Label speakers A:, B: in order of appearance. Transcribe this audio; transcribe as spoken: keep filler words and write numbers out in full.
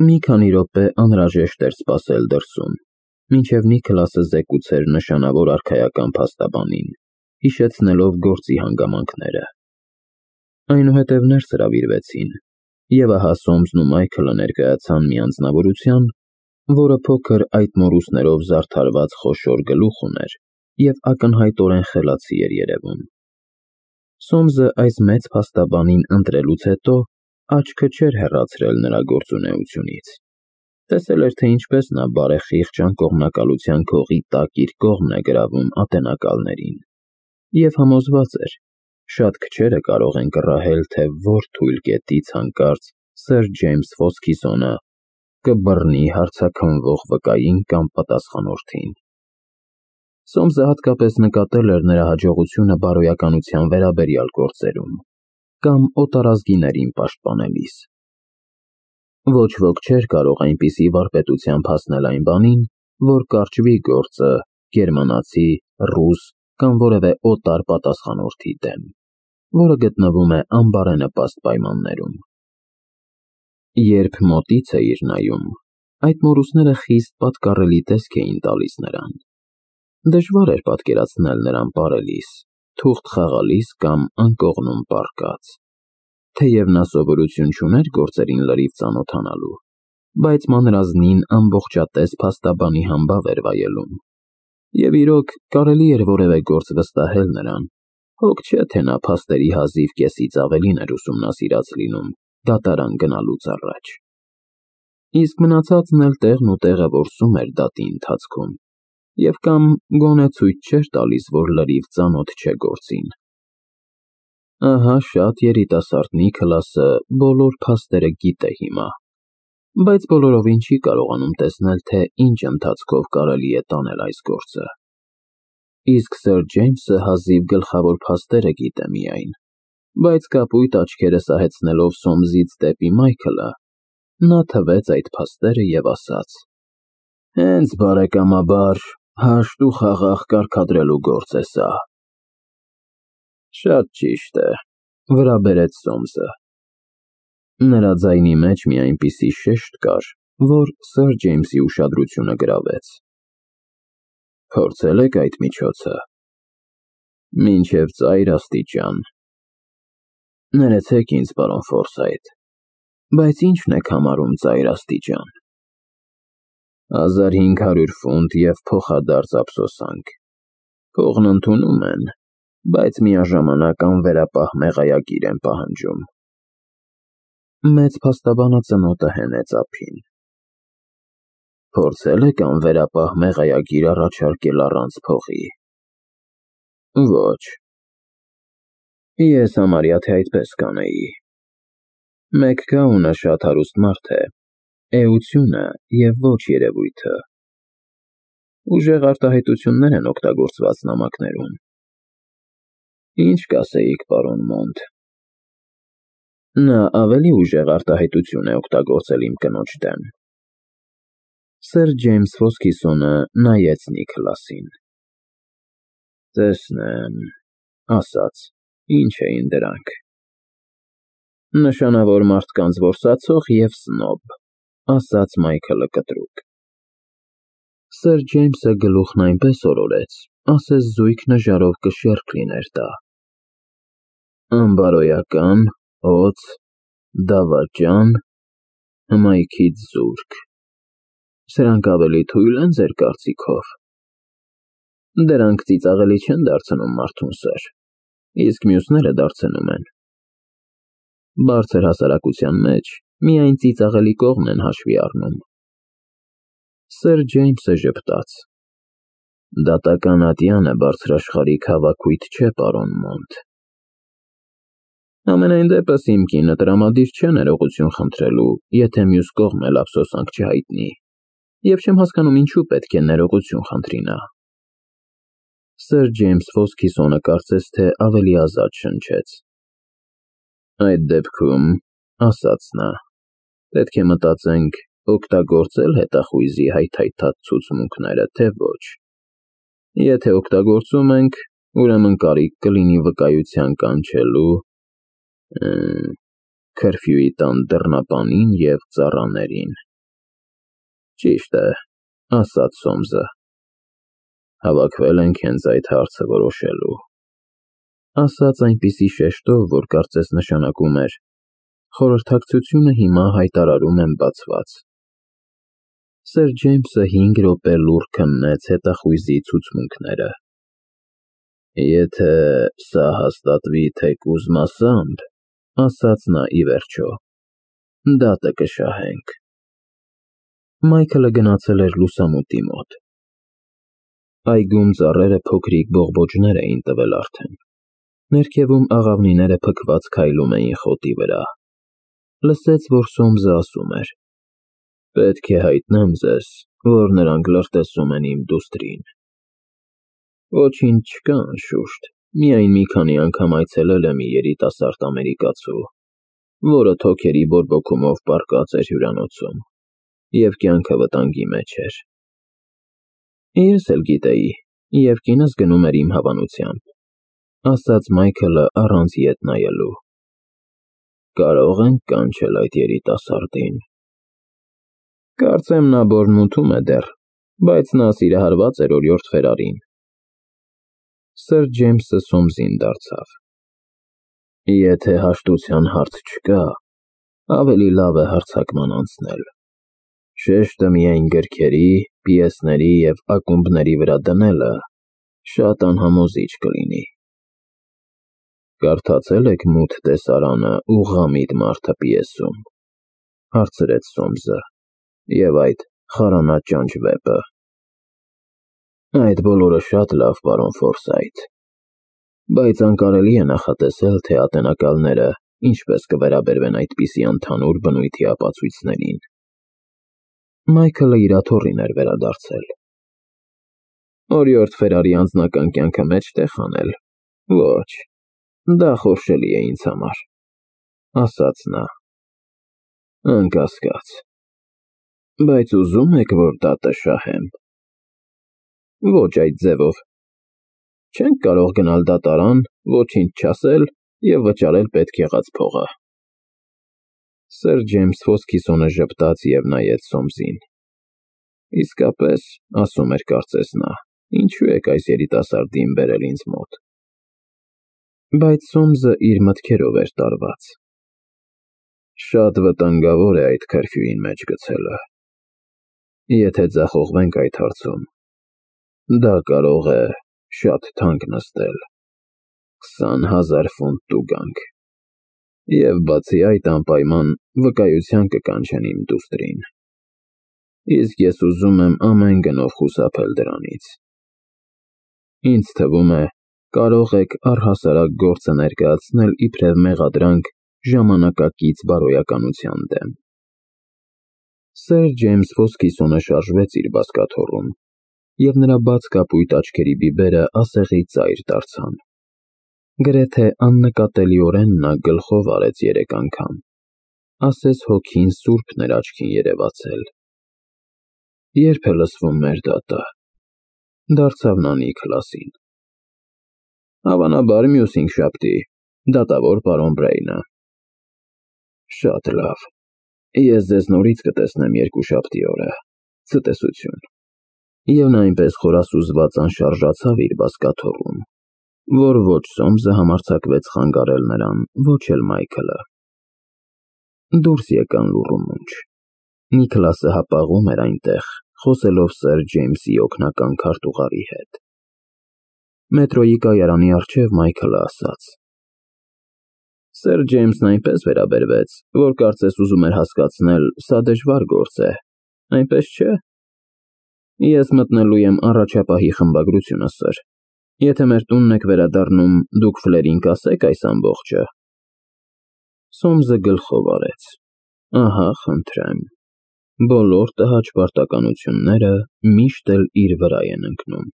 A: Մի քանի րոպե անհրաժեշտ էր սպասել դրսում, մինչև Նիքլասը զեկուցեր նշանավոր արքայական փաստաբանին, հիշեցնելով գործի հանգամանքները։ Այնուհետև ներս հրավիրվեցին, և ահա Սոմսն ու Մայքլը ներկայացան մի անձնավորության, որը փոքր այտմորուսներով զարդարված խոշոր գլուխ ուներ և ակնհայտորեն խելացի էր երևում։ Սոմսը այս մեծ փաստաբանին ընտրելուց հետո աչքը չէր հեռացրել նրա գործունեությունից, տեսել էր, թե ինչպես նա բարեխիղճ անկողմնակալության քողի տակ իր կողմն է գրավում ատենակալներին, և համոզված էր, շատ քչերը կարող են կռահել, թե որ թույլ կետից հանկարծ սըր Ջեյմս Ֆոսքիսոնը կբռնի հարցաքննվող վկային կամ պատասխանորդին։ Սոմսը հատկապես նկատել էր նրա հաջողությունը բարոյականության վերաբերյալ գործերում կամ օտարազգիներին պաշտպանելիս։ Ոչ ոք չէր կարող այնպիսի վարպետությամբ հասնել այն բանին, որ կարճվի գործը գերմանացի, ռուս կամ որևէ օտար պատասխանորդի դեմ, որը գտնվում է անբարենպաստ պայմաններում։ Երբ մոտից էիր նայում, այտմորուսները խիստ պատկառելի տեսք էին տալիս նրան։ Դժվար էր պատկերացնել նրան պարելիս, թուղթ խաղալիս կամ անկողնում պառկած։ Թեև նա սովորություն չուներ գործերին լրիվ ծանոթանալու, բայց մանրազնին ամբողջատես փաստաբանի համբավ էր վայելում։ Եվ իրոք, կարելի էր որևէ գործ վստահել նրան, հոգ չէ, թե նա փաստերի հազիվ կեսից ավելին էր ուսումնասիրած լինում դատարան գնալուց առաջ։ Իսկ մնացածն էլ տեղն ու տեղը որսում էր դատի ընթացքում, և կամ գոնե ցույց չէր տալիս, որ լրիվ ծանոթ չէ գործին։ Ահա շատ երիտասարդ Նիքլասը բոլոր փաստերը գիտե հիմա, բայց բոլորովին չի կարողանում տեսնել, թե ինչ ընթացքով կարելի է տանել այս գործը։ Իսկ սըր Ջեյմսը հազիվ գլխավոր փաստերը գիտե միայն, բայց կապույտ աչքերը սահեցնելով Սոմսից դեպի Մայքլը, նա թվեց այդ փաստերը և ասաց. «Հենց բարեկամաբար, հաշտ ու խաղաղ կարգադրելու գործ է սա»։ Շատ ճիշտ է, վրա բերեց Սոմսը։ Նրա ձայնի մեջ մի այնպիսի շեշտ կար, որ սըր Ջեյմսի ուշադրությունը գրավեց։ Փորձե՞լ եք այդ միջոցը։ Մինչև ծայր աստիճան։ Ներեցեք ինձ, պարոն Ֆորսայթ, բայց ի՞նչն եք համարում ծայր աստիճան։ Հազար հինգ հարյուր ֆունտ և փոխադարձ ափսոսանք։ Փողն ընդունում են, բայց միաժամանակ անվերապահ մեղայագիր են պահանջում։ Մեծ փաստաբանը ծնոտը հենեց ափին։ Փորձե՞լ եք անվերապահ մեղայագիր առաջարկել առանց փողի։ Ոչ։ Ես համարյա թե այդպես կանեի։ Մեկ գաղունը շատ հարուստ մարդ է, էությունը և ոչ երևույթը։ Ուժեղ արտահայտություններ են օգտագործված նամակներում։ Ինչ կասեիք, պարոն Մոնտ։ Նա ավելի ուժեղ արտահայտություն է օգտագործել իմ կնոջ դեմ։ Սըր Ջեյմս Ֆոսքիսոնը նայեց Նիքլասին։ Տեսնեմ, ասաց, ինչ էին դրանք։ Նշանավոր մարդկանց որսացող և սնոբ, ասաց Մայքլը կտրուկ։ Սըր Ջեյմսը գլուխն այնպես օրորեց, ասես զույգ նժարով կշեռք լիներ դա։ Անբարոյական, օձ, դավաճան, հմայքից զուրկ։ Սրանք ավելի թույլ են ձեր կարծիքով։ Դրանք ծիծաղելի չեն դարձնում մարդուն, սըր, իսկ մյուսները դարձնում են։ Բարձր հասարակության մեջ միայն ծիծաղելի կողմն են հաշվի առնում։ Սըր Ջեյմսը ժպտաց։ Դատական ատյանը բարձրաշխարհիկ հավաքույթ չէ, պարոն Մոնտ։ Համենայն դեպս իմ կինը տրամադիր չէ ներողություն խնդրելու, եթե մյուս կողմն էլ ափսոսանք չհայտնի, և չեմ հասկանում ինչու պետք է ներողություն խնդրի նա։ Սըր Ջեյմս Ֆոսքիսոնը կարծես թե ավելի ազատ շնչեց։ Այդ դեպքում, ասաց նա, պետք է մտածենք օգտագործել հետախույզի հայթայթած ցուցմունքները, թե ոչ։ Եթե օգտագործում ենք, ուրեմն կարիք կլինի վկայության կանչելու, քրֆյուի տան դռնապանին և ծառաներին։ Ճիշտ է, ասաց Սոմսը։ Հավաքվել ենք հենց այդ հարցը որոշելու։ Ասաց այնպիսի շեշտով, որ կարծես նշանակում էր. խորհրդակցությունը հիմա հայտարարում եմ բացված։ Սեր Ջեյմսը հինգ րոպե լուռ քննեց հետախույզի ցուցմունքները։ Եթե սա հաստատվի թեկուզ մասամբ, ասաց նա ի վերջո, դատը կշահենք։ Մայքլը գնացել էր լուսամուտի մոտ։ Այգում ծառերը փոքրիկ բողբոջներ էին տվել արդեն։ Ներքևում աղավնիները փքված քայլում էին խոտի վրա։ Լսեց, որ Սոմսը ասում էր. Պետք է հայտնեմ ձեզ, որ նրանք լրտեսում են իմ դուստրին։ Ոչինչ չկա, անշուշտ, միայն մի քանի անգամ այցելել է մի երիտասարդ ամերիկացու, որը թոքերի բորբոքումով պառկած էր հյուրանոցում, և կյանքը վտանգի մեջ էր։ Ես էլ գիտեի, և կինս գնում էր իմ հավանությամբ, ասաց Մայքլը առանց ետ նայելու։ Կարող ենք կանչել այդ երիտասարդին։ Կարծեմ նա բորմունթում է դեռ, բայց նա սիրահարված էր օրիորդ Ֆերարին։ Սեր Ջեյմսը Սոմսին դարձավ։ Եթե հաշտության հարց չկա, ավելի լավ է հարձակման անցնել։ Շեշտը միայն գրքերի, պիեսների և ակումբների վրա դնելը շատ անհամոզիչ կլինի։ Կարդացե՞լ եք Մութ տեսարանը ու Ղամիդ մարդը պիեսում, հարցրեց Սոմսը, և այդ խարանաճանճ վեպը։ Այդ բոլորը շատ լավ, պարոն Ֆորսայթ, բայց անկարելի է նախատեսել, թե ատենակալները ինչպես կվերաբերվեն այդպիսի ընդհանուր բնույթի ապացույցներին։ Մայքլը իր աթոռին էր վերադարձել։ Օրիորդ Ֆերարի անձնական կյանքը մեջտեղ անել։ Ոչ, դա խորշելի է ինձ համար, ասաց նա։ Անկասկած, բայց ուզում եք, որ դատը շահեմ։ Ոչ այդ ձևով։ Չենք կարող գնալ դատարան, ոչինչ չասել և վճարել պետք եղած փողը։ Սեր Ջեյմս ոսկիսոնը ժպտաց և նայեց Սոմսին։ Իսկապես, ասում էր կարծես նա, ինչու եք այս երիտասարդին բերել ինձ մոտ։ Բայց Սոմսը իր մտքերով էր տարված։ Շատ վտանգավոր է այդ քրֆյուին մեջ գցելը։ Եթե ձախողվենք այդ հարցում, դա կարող է շատ թանկ նստել, քսան հազար ֆունտ տուգանք, և բացի այդ անպայման վկայության կկանչեն իմ դուստրին, իսկ ես ուզում եմ ամեն գնով խուսափել դրանից։ Ինձ թվում է, կարող եք առհասարակ գործը ներկայացնել իբրև մեղադրանք ժամանակակից բարոյականության դեմ։ Սեր Ջեյմս ոսկիսոնը շարժվեց իր բազկաթոռում, և նրա բաց կապույտ աչքերի բիբերը ասեղի ծայր դարձան։ Գրեթե աննկատելիորեն նա գլխով արեց երեք անգամ, ասես հոգին սուրբ նրա աչքին երևացել։ Ե՞րբ է լսվում մեր դատը, դարձավ նա Նիքլասին։ Հավանաբար մյուս հինգշաբթի, դատավոր պարոն Բրեյնը։ Շատ լավ, ես ձեզ նորից կտեսնեմ երկուշաբթի օրը, ցտեսություն։ Եվ նա այնպես խորասուզված անշարժացավ իր բազկաթոռում, որ ոչ Սոմսը համարձակվեց խանգարել նրան, ոչ էլ Մայքլը։ Դուրս եկան լուռ ու մունջ։ Նիքլասը հապաղում էր այնտեղ, խոսելով սեր Ջեյմսի օգնական քարտուղարի հետ։ Մետրոյի կայարանի առջև Մայքլը ասաց. Սեր Ջեյմսն այնպես վերաբերվեց, որ կարծես ուզում էր հասկացնել, սա դժվար գործ է, այնպես չէ։ Ես մտնելու եմ առաջապահի խմբագրությունը, սըր։ Եթե մեր տունն եք վերադառնում, դուք Ֆլերին կասե՞ք այս ամբողջը։ Սոմսը գլխով արեց։ Ահա, խնդրեմ։ Բոլոր տհաճ պարտականությունները միշտ էլ իր վրա են ընկնում։